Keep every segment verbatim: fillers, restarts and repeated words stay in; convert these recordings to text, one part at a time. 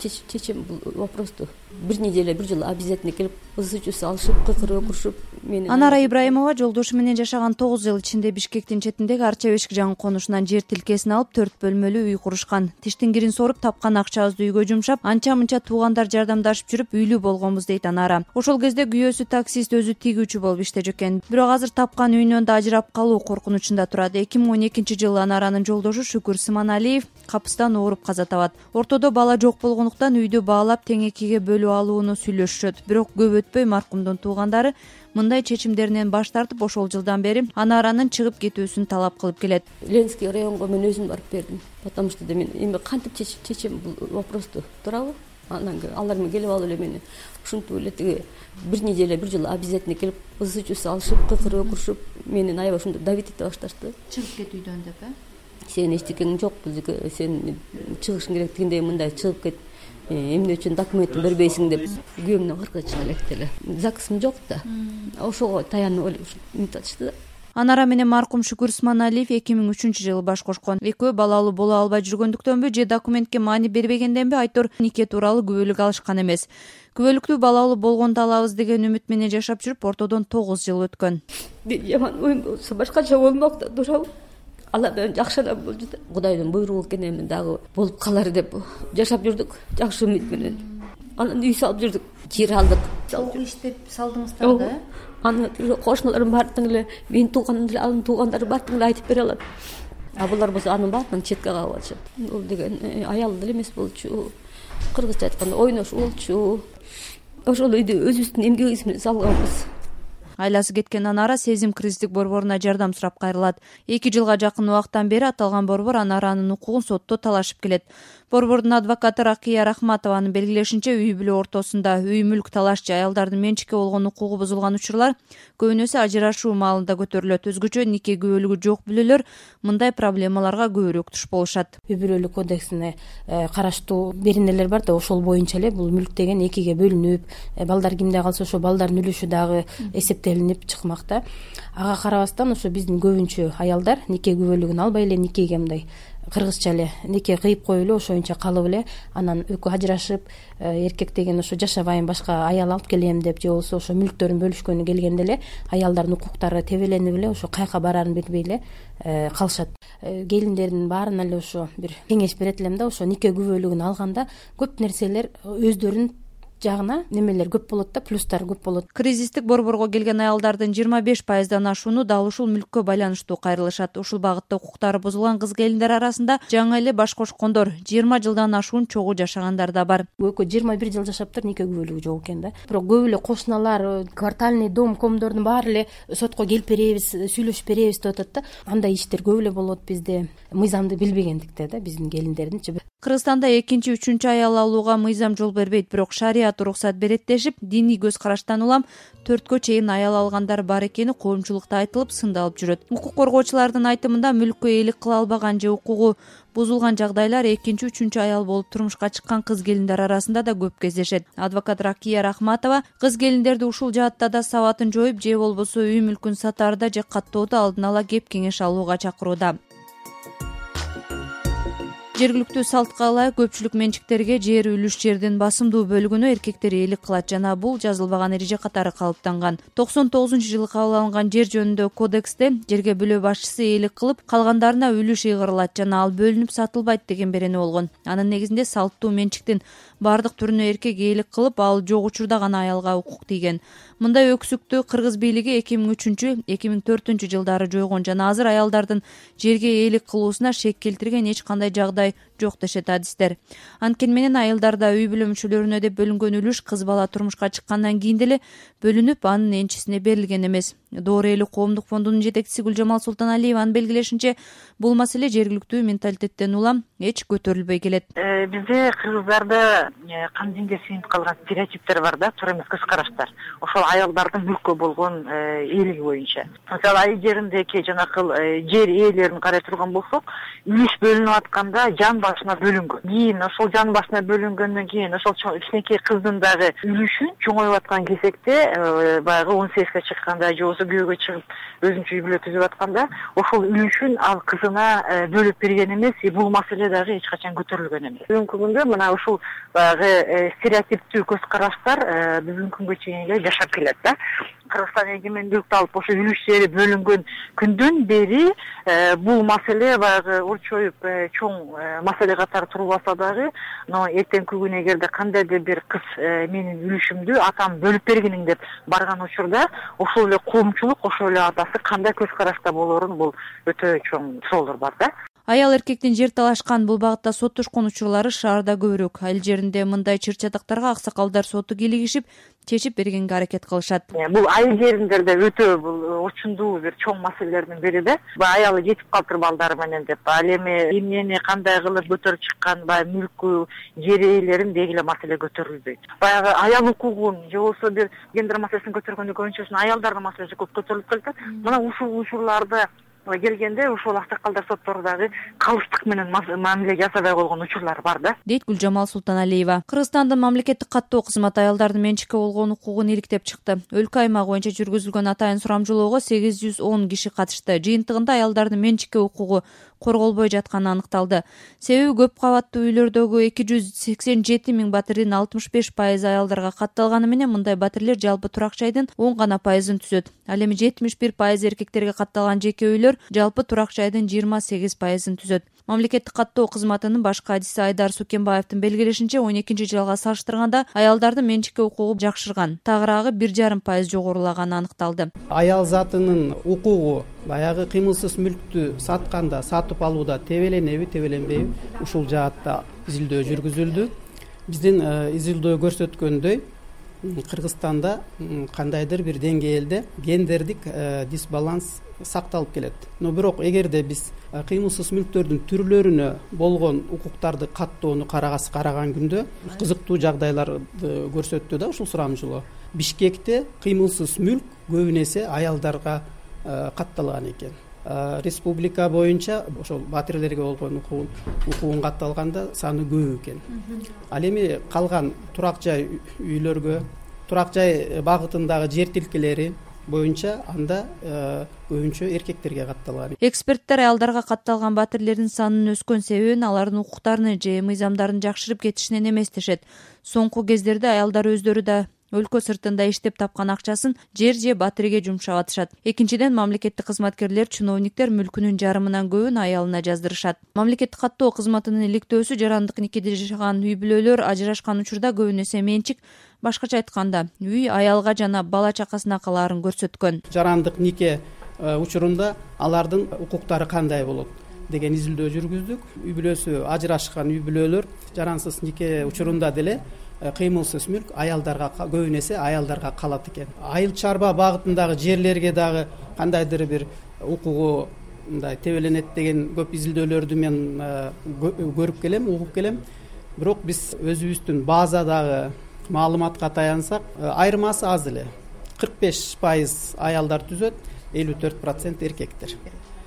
чечем бул вопросту. Бир неделе бир жыл обязательно келип ысуу суу салышып, кыкырып окурушуп. Анара Ибраимова жолдошу менен жашаган тогуз жыл ичинде Бишкектин четиндеги Арча бешик жаңы конушунан жер тилкесин алып төрт бөлмөлүү үй курушкан. Тиштин кирин соруп тапкан акчабызды үйгө жумшап, анча-мынча туугандар жардамдашып жүрүп үйлүү болгонбуз дейт Анара. Ошол кезде күйөөсү таксист, өзү тигүүчү болуп иштечү экен. Бирок азыр тапкан үйүнөн да ажырап калуу коркунучунда турат. эки миң он экинчи жылы Анаранын жолдошу Шүкүр Сыманалиев капыстан ооруп каза табат. Ортодо бала жок болгондуктан үйдү баалап тең экиге бөлүп алууну сүйлөшүшөт. Бирок көп өтпөй маркумдун туугандары мындай чечимдеринен баш тартып, ошол жылдан бери Анаранын чыгып кетүүсүн талап кылып келет. Ленинский районго мен өзүм барып бердим. Потому что мен эми кантип чечем бул вопросту, туурабы? Анан алар менен келип алып эле мени ушинтип эле тиги бир неделе бир жыл обязательно келип ысуу суу салышып, кыкырып окурушуп, мени аябай ушинтип давить эте башташты. Чыгып кет үйдөн деп, э? Сен эчтекең жок, сен чыгышың керек дегендей, мындай чыгып кет. Эмне үчүн документин бербейсиң деп күйөөмдөн кыркы чыга электи эле. ЗАГСым жок да. Ошого таянып эле мынтип атышты да. Анара менен маркум Шүкүр Сманалиев эки миң үчүнчү жылы баш кошкон. Экөө балалуу боло албай жүргөндүктөнбү же документке маани бербегенденби айтор нике тууралуу күбөлүк алышкан эмес. Күбөлүктүү балалуу болгонду алабыз деген үмүт менен жашап жүрүп, ортодон тогуз жыл өткөн. Жаман оюм болсо башкача болмок да, туурабы? Алла менен жакшы адам болду да. Кудайдын буйругу экен, эми дагы болуп калар деп жашап жүрдүк, жакшы үмүт менен. Анан үй салып жүрдүк, жер алдык. Чогуу иштеп салдыңыздар да? Аны кошуналарым баардыгы эле, менин тууганым эле, анын туугандары баардыгы эле айтып бере алат. А булар болсо анын баардыгын четке кагып атышат. Бул деген аял деле эмес болчу. Кыргызча айтканда ойнош болчу. Ошол үйдү өзүбүздүн эмгегибиз менен салганбыз. Айласы кеткен Анара сезим кризистик борборуна жардам сурап кайрылат. эки жылга жакын убакыттан бери аталган борбор Анаранын укугун сотто талашып келет. Борбордун адвокаты Ракия Рахматованын белгилешинче, үй бүлө ортосунда үй мүлк талашчы аялдардын менчикке болгон укугу бузулган учурлар көбүнөсү ажырашуу маалында көтөрүлөт. Өзгөчө нике күбөлүгү жок бүлөлөр мындай проблемаларга көбүрөөк туш болушат. Үй бүлөлүк кодексине караштуу беренелер бар да, ошол боюнча эле бул мүлк деген экиге бөлүнүп, балдар кимде калса ошо балдардын үлүшү дагы эсептелинип чыкмак да. Ага карабастан ошо биздин көбүнчө аялдар нике күбөлүгүн албай эле никеге мындай кыргызча эле нике кыйып коюп эле ошоюнча калып эле, анан экөө ажырашып, эркек деген ошо жашабайм, башка аял алып келем деп, же болбосо ошо мүлктөрүн бөлүшкөнү келгенде эле аялдардын укуктары тебеленип эле ошо каяка бараарын билбей эле калышат. Келиндердин баарына эле ошо бир кеңеш берет элем да, ошо нике күбөлүгүн алганда көп нерселер өздөрүн жагына немелер көп болот да, плюстар көп болот. Кризистик борборго келген аялдардын жыйырма беш пайыздан ашууну дал ушул мүлккө байланыштуу кайрылышат. Ушул багытта укуктары бузулган кыз келиндер арасында жаңы эле баш кошкондор, жыйырма жылдан ашуун чогуу жашагандар да бар. Экөө жыйырма бир жыл жашаптыр, нике күбөлүгү жок экен да. Бирок көп эле кошуналар, квартальный дом комдордун баары эле сотко келип беребиз, сүйлөшүп беребиз деп атат да. Андай иштер көп эле болот бизде. Мыйзамды билбегендикте да биздин келиндердинчи. Кыргызстанда экинчи, үчүнчү аял алууга мыйзам жол бербейт, бирок шарият уруксат берет дешип, диний көз караштан улам төрткө чейин аял алгандар бар экени коомчулукта айтылып, сындалып жүрөт. Укук коргоочулардын айтымында мүлккө ээлик кыла албаган же укугу бузулган жагдайлар экинчи, үчүнчү аял болуп турмушка чыккан кыз келиндер арасында да көп кездешет. Адвокат Ракия Рахматова кыз келиндерди ушул жаатта да сабатын жоюп, же болбосо үй мүлкүн сатаарда же каттоодо алдын ала кеп кеңеш алууга чакырууда. Жергиликтүү салтка ылайык көпчүлүк менчиктерге жер үлүш жердин басымдуу бөлүгүнө эркектер ээлик кылат жана бул жазылбаган эреже катары калыптанган. токсон тогузунчу жылы кабыл алынган жер жөнүндө кодексте жерге бүлө башчысы ээлик кылып, калгандарына үлүш ыйгырылат жана ал бөлүнүп сатылбайт деген берене болгон. Анын негизинде салттуу менчиктин бардык түрүнө эркек ээлик кылып, ал жок учурда гана аялга укук тийген. Мындай өксүктү кыргыз бийлиги эки миң үчүнчү эки миң төртүнчү жылдары жойгон жана азыр аялдардын жерге ээлик кылуусуна шек келтирген эч кандай жагдай жок дешет адистер. Анткени менен айылдарда үй бүлө мүчөлөрүнө деп бөлүнгөн үлүш кыз бала турмушка чыккандан кийин деле бөлүнүп, анын энчисине берилген эмес. Доор эли коомдук фондунун жетекчиси Гүлжамал Султаналиеванын белгилешинче, бул маселе жергиликтүү менталитеттен улам эч көтөрүлбөй келет. Бизде кыргыздарда кан динге сыйынып калган стереотиптер бар да, туура эмес көз караштар. Ошол аялдардын мүлккө болгон ээлиги боюнча. Мисалы, айыл жериндеги жанакыл жер ээлерин карай турган болсок, үлүш бөлүнүп атканда жан башына бөлүнгөн. Кийин ошол жан башына бөлүнгөндөн кийин ошол кичинекей кыздын дагы үлүшүн чоңоюп аткан кезекте, баягы он сегизге чыкканда же болбосо болбосо күйөөгө чыгып өзүнчө үй бүлө түзүп атканда ошол үлүшүн ал кызына бөлүп берген эмес, бул маселе дагы эч качан көтөрүлгөн эмес. Бүгүнкү күндө мына ушул баягы стереотиптүү көз караштар бүгүнкү күнгө чейин эле жашап келет да. Кыргызстан эгемендүүлүктү алып ошо үлүш жери бөлүнгөн күндөн бери бул маселе баягы урчоюп чоң маселе катары турбаса дагы, но эртеңки күнү эгерде кандайдыр бир кыз менин үлүшүмдү атам бөлүп бергиниң деп барган учурда ошол эле коомчулук, ошол эле атасы кандай көз карашта болорун бул өтө чоң суроолор бар да. Аял эркектин жер талашкан бул багытта соттошкон учурлары шаарда көбүрөөк. Айыл жеринде мындай чыр-чатактарга аксакалдар соту кийлигишип, чечип бергенге аракет кылышат. Бул айыл жеринде өтө бул орчундуу бир чоң маселелердин бири да. Аялы жетип калыптыр балдары менен деп, ал эми эмнени кандай кылып көтөрүп чыккан, баягы мүлкү, жер ээлерин деги эле маселе көтөрүлбөйт. Баягы аял укугун же болбосо бир гендер маселесин көтөргөндө көбүнчөсүн аялдардын маселеси көп көтөрүлүп келет. Мына ушул учурларда келгенде ошол аксакалдар соттордогу калыстык менен мамиле жасабай койгон учурлар бар да, дейт Гүлжамал Султаналиева. Кыргызстандын мамлекеттик каттоо кызматы аялдардын менчикке болгон укугун иликтеп чыкты. Өлкө аймак боюнча жүргүзүлгөн атайын сурамжылоого сегиз жүз он киши катышты. Жыйынтыгында аялдардын менчикке укугу корголбой жатканы аныкталды. Себеби көп кабаттуу үйлөрдөгү эки жүз сексен жети миң батирдин алтымыш беш пайызы аялдарга катталганы менен мындай батирлер жалпы турак жайдын он гана пайызын түзөт. Ал эми жетимиш бир пайыз эркектерге катталган жеке үйлөр жалпы турак жайдын жыйырма сегиз пайызын түзөт. Мамлекеттик каттоо кызматынын баш кадиси Айдар Сукенбаевдин белгилешинче, он экинчи жылга салыштырганда аялдардын менчикке укугу жакшырган, тагыраагы бир жарым пайыз жогорулаганы аныкталды. Аял затынын укугу баягы кыймылсыз мүлктү сатканда, сатып алууда тебеленеби, тебеленбейби, ушул жаатта изилдөө жүргүзүлдү. Биздин изилдөө көрсөткөндөй, Кыргызстанда кандайдыр бир деңгээлде гендердик дисбаланс сакталып келет. Но бирок эгерде биз кыймылсыз мүлктөрдүн түрлөрүнө болгон укуктарды каттоону карагас караган күндө кызыктуу жагдайларды көрсөттү да ушул сурамжылоо. Бишкекте кыймылсыз мүлк көбүн эсе аялдарга катталган экен. Республика боюнча ошол батирлерге болгон укугун укугун катталганда саны көп экен. Ал эми калган турак жай үйлөргө, турак жай багытындагы жер тилкелери боюнча анда көбүнчө эркектерге катталган. Эксперттер аялдарга катталган батирлердин санынын өскөн себебин алардын укуктарын же мыйзамдарын жакшырып кетишинен эмес дешет. Соңку кездерде аялдар өздөрү да өлкө сыртында иштеп тапкан акчасын жер же батирге жумшап атышат. Экинчиден, мамлекеттик кызматкерлер, чиновниктер мүлкүнүн жарымынан көбүн аялына жаздырышат. Мамлекеттик каттоо кызматынын иликтөөсү жарандык никеде жашаган үй бүлөлөр ажырашкан учурда көбүн эсе менчик, башкача айтканда, үй аялга жана бала чакасына калаарын көрсөткөн. Жарандык нике учурунда алардын укуктары кандай болот деген изилдөө жүргүздүк. Үй бүлөсү ажырашкан үй бүлөлөр жарансыз нике учурунда деле кыймылсыз мүлк аялдарга көбүн эсе аялдарга калат экен. Айыл чарба багытындагы жерлерге дагы кандайдыр бир укугу мындай тебеленет деген көп изилдөөлөрдү мен көрүп келем, угуп келем. Бирок биз өзүбүздүн базадагы маалыматка таянсак, айырмасы аз эле. кырк беш пайыз аялдар түзөт, элүү төрт процент эркектер.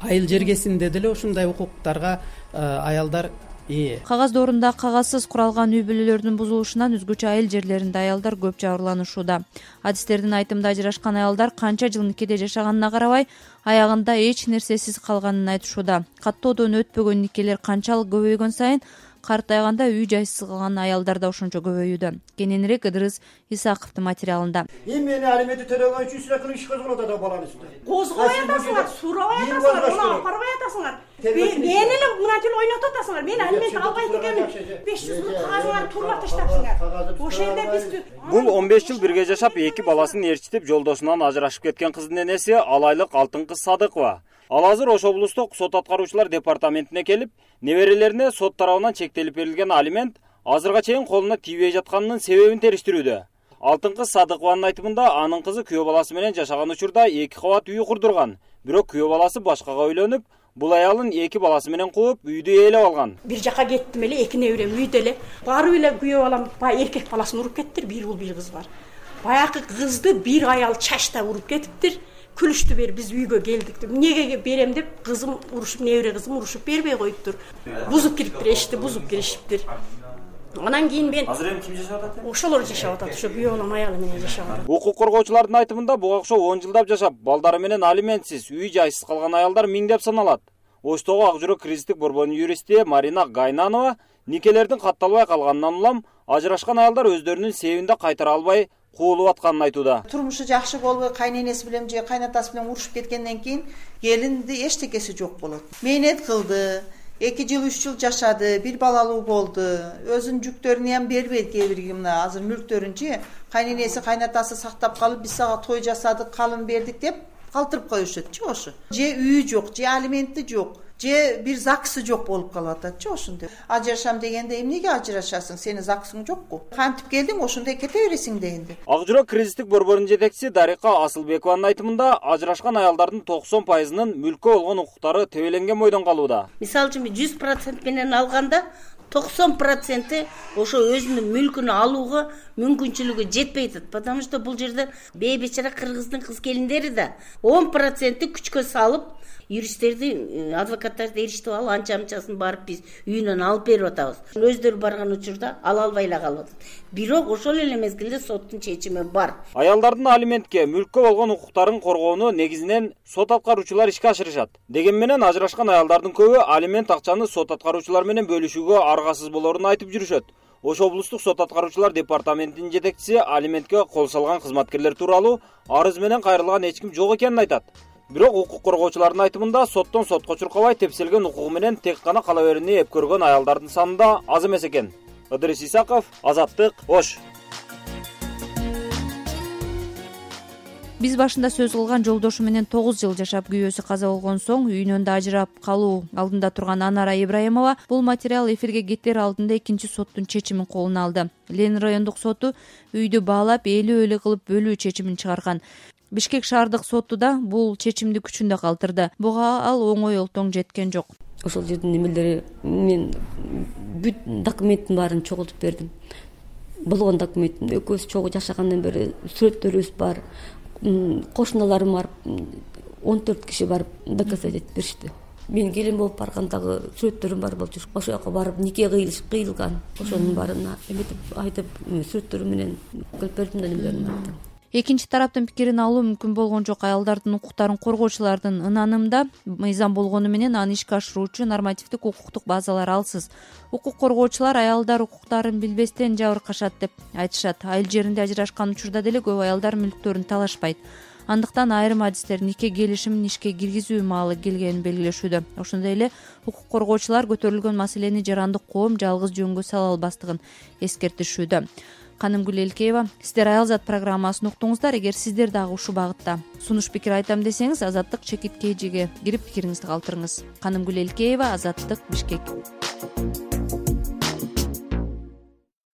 Айыл жергесинде деле ушундай укуктарга аялдар ээ. Кагаз доорунда кагазсыз куралган үй бүлөлөрдүн бузулушунан өзгөчө айыл жерлеринде аялдар көп жабырланышууда. Адистердин айтымында ажырашкан аялдар канча жыл никеде жашаганына карабай, аягында эч нерсесиз калганын айтышууда. Каттоодон өтпөгөн никелер канчалык көбөйгөн сайын картайганда үй жайсыз калган аялдар да ошончо көбөйүүдө. Кененирээк Ыдырыс Исаковдун материалында. Эмне алименти төлөгөн үчүн сүрөкүн иш козголот ада баланы үстүнө. Козгобой атасыңар, сурабай атасыңар, уну апарбай атасыңар. Мен эле мынантип ойнотуп атасыңар. Мен алимент албайт экенмин. беш жүз миң кагазыңарды туруп таштапсыңар. Ошол жерде биз Бул он беш жыл бирге жашап, эки баласын ээрчитип, жолдошунан ажырашып кеткен кыздын энеси ал айлык Алтын кыз Садыкова. Ал азыр Ош облустук сот аткаруучулар департаментине келип, неберелерине сот тарабынан чектелип берилген алимент азырга чейин колуна тийбей жатканынын себебин териштирүүдө. Алтын кыз Садыкованын айтымында анын кызы күйөө баласы менен жашаган учурда эки кабат үй курдурган. Бирок күйөө баласы башкага үйлөнүп, бул аялын эки баласы менен кууп, үйдү ээлеп алган. Бир жака кеттим эле, эки неберем үйдө эле. Барып эле күйөө балам баягы эркек баласын уруп кеттир, бир уул бир кыз бар. Баягы кызды бир аял чачта уруп кетиптир. Күлүштү бер, биз үйгө келдик деп. Эмнеге берем деп кызым урушуп, небере кызым урушуп бербей коюптур. Бузуп кириптир, эшикти бузуп киришиптир. Анан кийин мен азыр эми ким жашап атат? ошолор жашап атат, ошо күйөө балам аялы менен жашап атат. Укук коргоочулардын айтымында буга окшоп он жылдап жашап, балдары менен алиментсиз, үй жайсыз калган аялдар миңдеп саналат. Оштогу Ак жүрөк кризистик борборунун юристи Марина Гайнанова никелердин катталбай калганынан улам ажырашкан аялдар өздөрүнүн себебинде кайтара албай куулуп атканын айтууда. Турмушу жакшы болбой, кайненеси менен же кайнатасы менен урушуп кеткенден кийин келинди эчтекеси жок болот. Мээнет кылды, эки жыл үч жыл жашады, бир балалуу болду. Өзүнүн жүктөрүн ham бербейт, кээ бирги мына азыр мүлктөрүнчү кайненеси кайнатасы сактап калып, биз сага той жасадык, калын бердик деп калтырып коюшат-чы ошо. Же үйү жок, же алименти жок, же бир ЗАГСы жок болуп калып атат-чы ошондой. Ажырашам дегенде эмнеге ажырашасың? Сени ЗАГСың жокку? Кантип келдиң, ошондой кете бересиң дегенде. Ак жүрөк кризистик борборунун жетекчиси Дарика Асылбекованын айтымында ажырашкан аялдардын токсон пайызынын мүлккө болгон укуктары тебеленген бойдон калууда. Мисалы үчүн жүз процент менен алганда токсон проценти ошо өзүнүн мүлкүн алууга мүмкүнчүлүгү жетпей атат. Потому что бул жерде бейбечара кыргыздын кыз келиндери да он проценти күчкө салып, юристтерди, адвокаттарды эрişтип алып, анча-мынчасын барып биз үйүнөн алып берип атабыз. Өздөрү барган учурда ала албай эле калып атат. Бирок ошол эле мезгилде соттун чечими бар. Аялдардын алиментке, мүлккө болгон укуктарын коргоону негизинен сот аткаруучулар ишке ашырышат. Дегени менен ажырашкан аялдардын көбү алимент акчаны сот аткаруучулар менен бөлүшүүгө аргасыз болоорун айтып жүрүшөт. Ош облустук сот аткаруучулар департаментинин жетекчиси алиментке кол салган кызматкерлер тууралуу арыз менен кайрылган эч ким жок экенин айтат. Бирок укук коргоочулардын айтымында соттон сотко чуркабай тепселген укугу менен тек гана кала берүүнү эп көргөн аялдардын саны да аз эмес экен. Ыдырыс Исаков, Азаттык, Ош. Биз башында сөз кылган жолдошу менен тогуз жыл жашап күйөөсү каза болгон соң үйүнөн да ажырап калуу алдында турган Анара Ибраимова бул материал эфирге кетер алдында экинчи соттун чечимин колуна алды. Ленин райондук соту үйдү баалап, ээлүү-ээлүү кылып бөлүү чечимин чыгарган. Бишкек шаардык соту да бул чечимди күчүндө калтырды. Буга ал оңой олтоң жеткен жок. Ошол жердин немелери мен бүт документтин баарын чогултуп бердим. Болгон документин экөөбүз чогуу жашагандан бери сүрөттөрүбүз бар. Кошуналарым барып, он төрт киши барып доказать этип беришти. Мен келин болуп баргандагы сүрөттөрүм бар болчу. Ошол жака барып нике кыйылган. Ошонун баарына эметип айтып, сүрөттөрүм менен кылып бердим да немелерин айттым. Экинчи тараптын пикирин алуу мүмкүн болгон жок. Аялдардын укуктарын коргоочулардын ынанымда мыйзам болгону менен аны ишке ашыруучу нормативдик укуктук базалар алсыз. Укук коргоочулар аялдар укуктарын билбестен жабыркашат деп айтышат. Айыл жеринде ажырашкан учурда деле көп аялдар мүлктөрүн талашпайт. Андыктан айрым адистер нике келишимин ишке киргизүү маалы келгенин белгилешүүдө. Ошондой эле укук коргоочулар көтөрүлгөн маселени жарандык коом жалгыз жөнгө сала албастыгын эскертишүүдө. Канымгүл Элкеева, сиздер Аялзат программасын уктуңуздар. Эгер сиздер дагы ушул багытта сунуш пикир айтам десеңиз, Азаттык чекит кейжиге кирип пикириңизди калтырыңыз. Канымгүл Элкеева, Азаттык, Бишкек.